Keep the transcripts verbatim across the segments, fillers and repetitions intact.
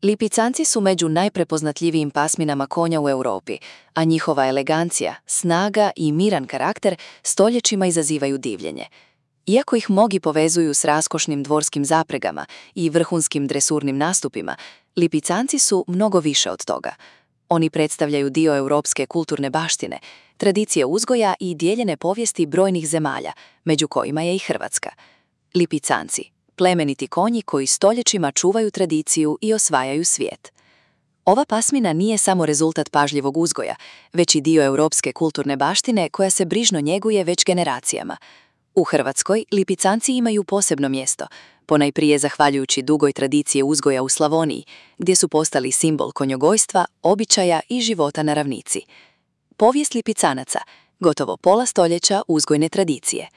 Lipicanci su među najprepoznatljivijim pasminama konja u Europi, a njihova elegancija, snaga i miran karakter stoljećima izazivaju divljenje. Iako ih mnogi povezuju s raskošnim dvorskim zapregama i vrhunskim dresurnim nastupima, lipicanci su mnogo više od toga. Oni predstavljaju dio europske kulturne baštine, tradicije uzgoja i dijeljene povijesti brojnih zemalja, među kojima je i Hrvatska. Lipicanci, plemeniti konji koji stoljećima čuvaju tradiciju i osvajaju svijet. Ova pasmina nije samo rezultat pažljivog uzgoja, već i dio europske kulturne baštine koja se brižno njeguje već generacijama. U Hrvatskoj lipicanci imaju posebno mjesto, ponajprije zahvaljujući dugoj tradicije uzgoja u Slavoniji, gdje su postali simbol konjogojstva, običaja i života na ravnici. Povijest lipicanaca, gotovo pola stoljeća uzgojne tradicije.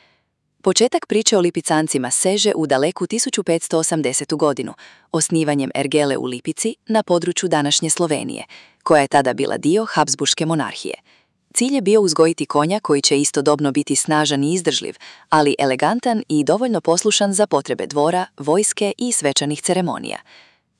Početak priče o lipicancima seže u daleku tisuću petsto osamdesetu godinu, osnivanjem ergele u Lipici na području današnje Slovenije, koja je tada bila dio Habsburške monarhije. Cilj je bio uzgojiti konja koji će istodobno biti snažan i izdržljiv, ali elegantan i dovoljno poslušan za potrebe dvora, vojske i svečanih ceremonija.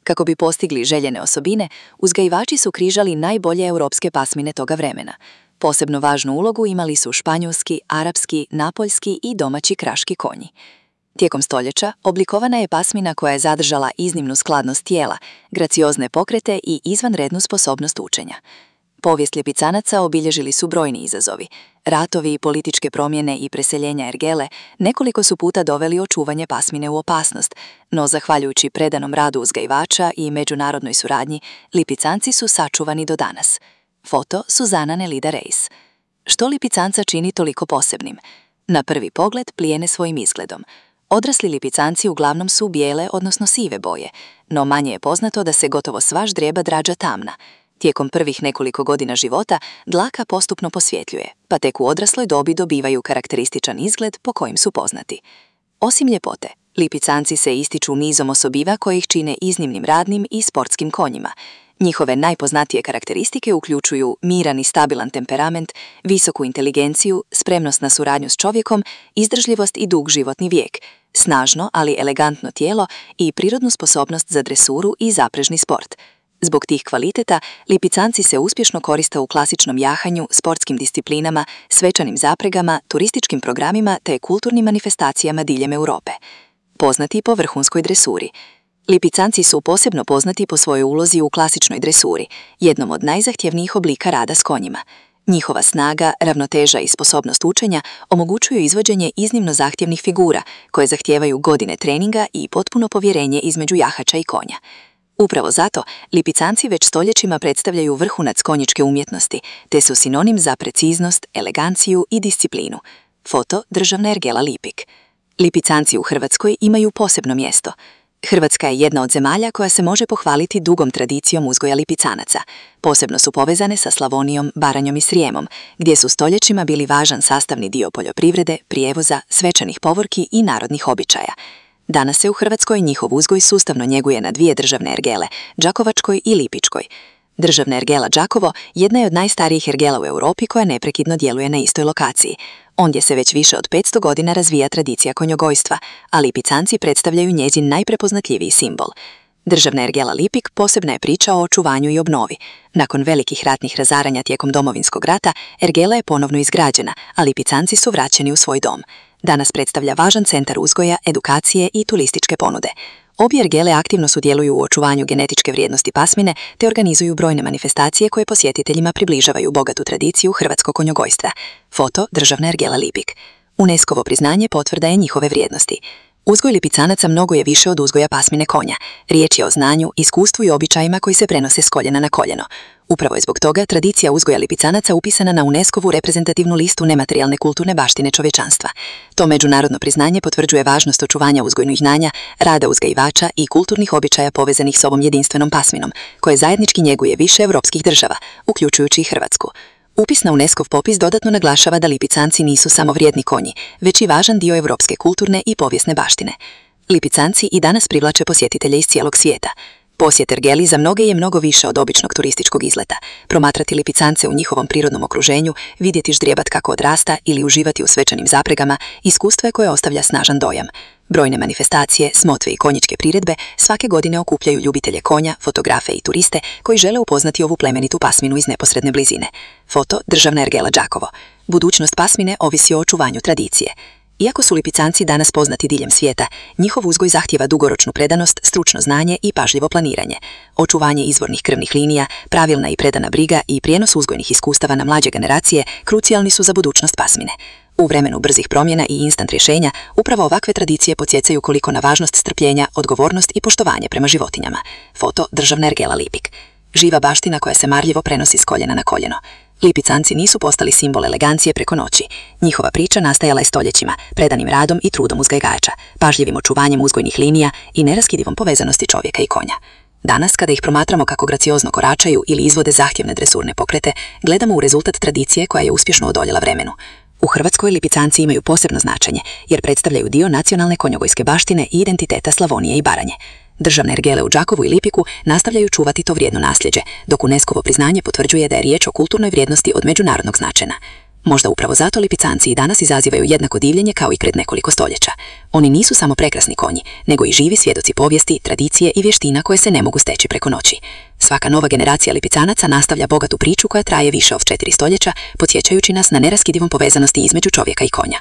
Kako bi postigli željene osobine, uzgajivači su križali najbolje europske pasmine toga vremena. Posebno važnu ulogu imali su španjolski, arapski, napoljski i domaći kraški konji. Tijekom stoljeća oblikovana je pasmina koja je zadržala iznimnu skladnost tijela, graciozne pokrete i izvanrednu sposobnost učenja. Povijest lipicanaca obilježili su brojni izazovi. Ratovi, političke promjene i preseljenja ergele nekoliko su puta doveli očuvanje pasmine u opasnost, no zahvaljujući predanom radu uzgajivača i međunarodnoj suradnji, lipicanci su sačuvani do danas. Foto Suzana Nelida Reis. Što lipicanca čini toliko posebnim? Na prvi pogled plijene svojim izgledom. Odrasli lipicanci uglavnom su bijele, odnosno sive boje, no manje je poznato da se gotovo sva ždrijeba drađa tamna. Tijekom prvih nekoliko godina života dlaka postupno posvjetljuje, pa tek u odrasloj dobi dobivaju karakterističan izgled po kojim su poznati. Osim ljepote, lipicanci se ističu nizom osobiva koje ih čine iznimnim radnim i sportskim konjima. Njihove najpoznatije karakteristike uključuju miran i stabilan temperament, visoku inteligenciju, spremnost na suradnju s čovjekom, izdržljivost i dug životni vijek, snažno, ali elegantno tijelo i prirodnu sposobnost za dresuru i zaprežni sport. Zbog tih kvaliteta, lipicanci se uspješno koriste u klasičnom jahanju, sportskim disciplinama, svečanim zapregama, turističkim programima te kulturnim manifestacijama diljem Europe. Poznati po vrhunskoj dresuri. Lipicanci su posebno poznati po svojoj ulozi u klasičnoj dresuri, jednom od najzahtjevnijih oblika rada s konjima. Njihova snaga, ravnoteža i sposobnost učenja omogućuju izvođenje iznimno zahtjevnih figura koje zahtijevaju godine treninga i potpuno povjerenje između jahača i konja. Upravo zato, lipicanci već stoljećima predstavljaju vrhunac konjičke umjetnosti, te su sinonim za preciznost, eleganciju i disciplinu. Foto Državna ergela Lipik. Lipicanci u Hrvatskoj imaju posebno mjesto. Hrvatska je jedna od zemalja koja se može pohvaliti dugom tradicijom uzgoja lipicanaca. Posebno su povezane sa Slavonijom, Baranjom i Srijemom, gdje su stoljećima bili važan sastavni dio poljoprivrede, prijevoza, svečanih povorki i narodnih običaja. Danas se u Hrvatskoj njihov uzgoj sustavno njeguje na dvije državne ergele, Đakovačkoj i Lipičkoj. Državna ergela Đakovo jedna je od najstarijih ergela u Europi koja neprekidno djeluje na istoj lokaciji. Ondje se već više od petsto godina razvija tradicija konjogojstva, a lipicanci predstavljaju njezin najprepoznatljiviji simbol. Državna ergela Lipik posebna je priča o očuvanju i obnovi. Nakon velikih ratnih razaranja tijekom Domovinskog rata, ergela je ponovno izgrađena, a lipicanci su vraćeni u svoj dom. Danas predstavlja važan centar uzgoja, edukacije i turističke ponude. Obje ergele aktivno sudjeluju u očuvanju genetičke vrijednosti pasmine te organizuju brojne manifestacije koje posjetiteljima približavaju bogatu tradiciju hrvatskog konjogojstva. Foto Državna ergela Lipik. UNESCO-ovo priznanje potvrda je njihove vrijednosti. Uzgoj lipicanaca mnogo je više od uzgoja pasmine konja. Riječ je o znanju, iskustvu i običajima koji se prenose s koljena na koljeno. Upravo je zbog toga tradicija uzgoja lipicanaca upisana na UNESCO-vu reprezentativnu listu nematerijalne kulturne baštine čovječanstva. To međunarodno priznanje potvrđuje važnost očuvanja uzgojnih znanja, rada uzgajivača i kulturnih običaja povezanih s ovom jedinstvenom pasminom, koje zajednički njeguje više europskih država, uključujući i Hrvatsku. Upis na UNESCO-v popis dodatno naglašava da lipicanci nisu samo vrijedni konji, već i važan dio europske kulturne i povijesne baštine. Lipicanci i danas privlače posjetitelje iz cijelog svijeta. Posjet ergeli za mnoge je mnogo više od običnog turističkog izleta. Promatrati lipicance u njihovom prirodnom okruženju, vidjeti ždrijebat kako odrasta ili uživati u svečanim zapregama, iskustvo je koje ostavlja snažan dojam. Brojne manifestacije, smotve i konjičke priredbe svake godine okupljaju ljubitelje konja, fotografe i turiste koji žele upoznati ovu plemenitu pasminu iz neposredne blizine. Foto Državna ergela Đakovo. Budućnost pasmine ovisi o očuvanju tradicije. Iako su lipicanci danas poznati diljem svijeta, njihov uzgoj zahtijeva dugoročnu predanost, stručno znanje i pažljivo planiranje. Očuvanje izvornih krvnih linija, pravilna i predana briga i prijenos uzgojnih iskustava na mlađe generacije krucijalni su za budućnost pasmine. U vremenu brzih promjena i instant rješenja, upravo ovakve tradicije podsjecaju koliko na važnost strpljenja, odgovornost i poštovanje prema životinjama. Foto Državna ergela Lipik. Živa baština koja se marljivo prenosi s koljena na koljeno. Lipicanci nisu postali simbol elegancije preko noći. Njihova priča nastajala je stoljećima, predanim radom i trudom uzgajivača, pažljivim očuvanjem uzgojnih linija i neraskidivom povezanosti čovjeka i konja. Danas, kada ih promatramo kako graciozno koračaju ili izvode zahtjevne dresurne pokrete, gledamo u rezultat tradicije koja je uspješno odoljela vremenu. U Hrvatskoj lipicanci imaju posebno značenje, jer predstavljaju dio nacionalne konjogojske baštine i identiteta Slavonije i Baranje. Državne ergele u Đakovu i Lipiku nastavljaju čuvati to vrijedno nasljeđe, dok UNESCO-ovo priznanje potvrđuje da je riječ o kulturnoj vrijednosti od međunarodnog značaja. Možda upravo zato lipicanci i danas izazivaju jednako divljenje kao i pred nekoliko stoljeća. Oni nisu samo prekrasni konji, nego i živi svjedoci povijesti, tradicije i vještina koje se ne mogu steći preko noći. Svaka nova generacija lipicanaca nastavlja bogatu priču koja traje više od četiri stoljeća, podsjećajući nas na neraskidivom povezanosti između čovjeka i konja.